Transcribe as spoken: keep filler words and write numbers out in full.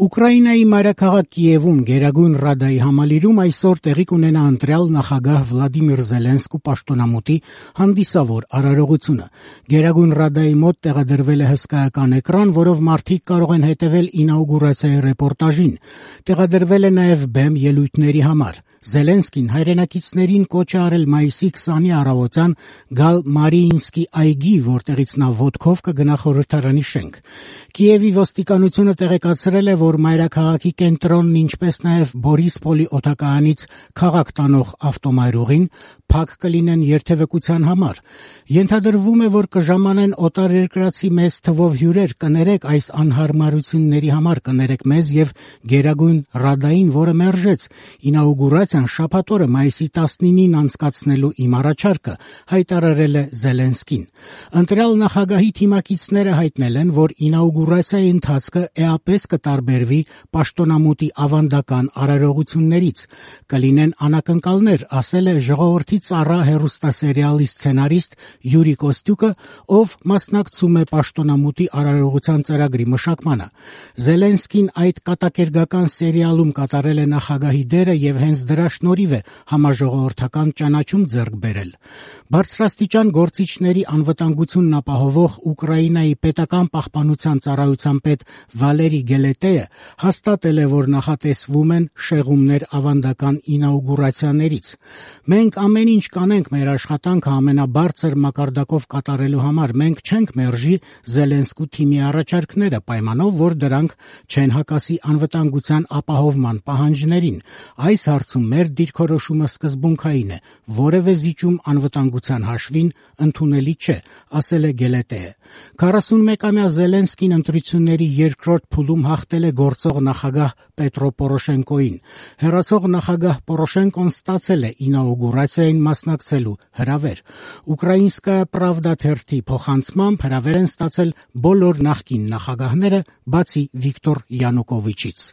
Ուկրաինայի մայրաքաղաք Կիևում Գերագույն Ռադայի համալիրում այսօր տեղի կունենա ընտրյալ նախագահ Վլադիմիր Զելենսկու պաշտոնամուտի հանդիսավոր արարողությունը։ Գերագույն Ռադայի մոտ տեղադրվել է հսկայական էկրան, որով մարդիկ կարող են հետևել ինաուգուրացիայի ռեպորտաժին։ Տեղադրվել է նաև բեմ ելույթների համար։ Զելենսկին հայրենակիցներին կոչ է արել մայիսի քսանի առավոտյան գալ Մարիինսկի այգի, որտեղից նա ոտքով կգնա խորհրդարանի շենք։ Կիևի ոստիկանությունը տեղեկացրել է, որ մայրաքաղաքի կենտրոնն, ինչպես նաև Բորիսպոլի օդակայանից քաղաք տանող ավտոմայրուղին փակ կլինեն երթևեկության համար։ Ենթադրվում է, որ կժամանեն օտարերկրացի մեծ թվով հյուրեր։ Կներեք այս անհարմարությունների համար, կներեք մեզ եւ Գերագույն Ռադային, որը մերժեց ինաուգուրացիան շաբաթ օրը մայիսի տասնինին անցկացնելու իմ առաջարկը, հայտարարել է Զելենսկին։ Ընտրյալ նախագահի թիմակիցները հայտնել են, որ ինաուգուրացիայի ընթացքը էապես կտարբերվի պաշտոնամուտի ավանդական արարողություններից։ Կլինեն անակնկալներ, ասել է Ժողովրդի ծառա հեռուստասերիալի սցենարիստ Յուրի Կոստյուկը, ով մասնակցում է պաշտոնամուտի արարողության ծրագրի մշակմանը։ Զելենսկին այդ կատակերգական սերիալում կատարել է նախագահի դերը եւ հենց դրա շնորհիվ է համաժողովրդական ճանաչում ձեռք բերել։ Բարձրաստիճան գործիչների անվտանգությունն ապահովող Ուկրաինայի պետական պահպանության ծառայության պետ Վալերի Գելետեը հաստատել է, որ նախատեսվում են շեղումներ ավանդական ինաուգուրացիաներից։ Մենք ամեն ինչ կանենք մեր աշխատանքը ամենաբարձր մակարդակով կատարելու համար։ Մենք չենք մերժի Զելենսկու թիմի առաջարկները, պայմանով, որ դրանք չեն հակասի անվտանգության ապահովման պահանջներին։ Այս հարցում մեր դիրքորոշումը սկզբունքային է, որևէ զիջում անվտանգության հաշվին ընդունելի չէ, ասել է Գելետեը։ քառասունմեկամյա Զելենսկին ընտրությունների երկրորդ փուլում հաղթել է գործող նախագահ Պետրո Պորոշենկոին։ Հեռացող նախագահ Պորոշենկոն ստացել է ինաուգուրացիային մասնակցելու հրավեր։ Ուկրաինսկայա Պրավդա թերթի փոխանցմամբ հրավեր են ստացել բոլոր նախկին նախագահները, բացի Վիկտոր Յանուկովիչից։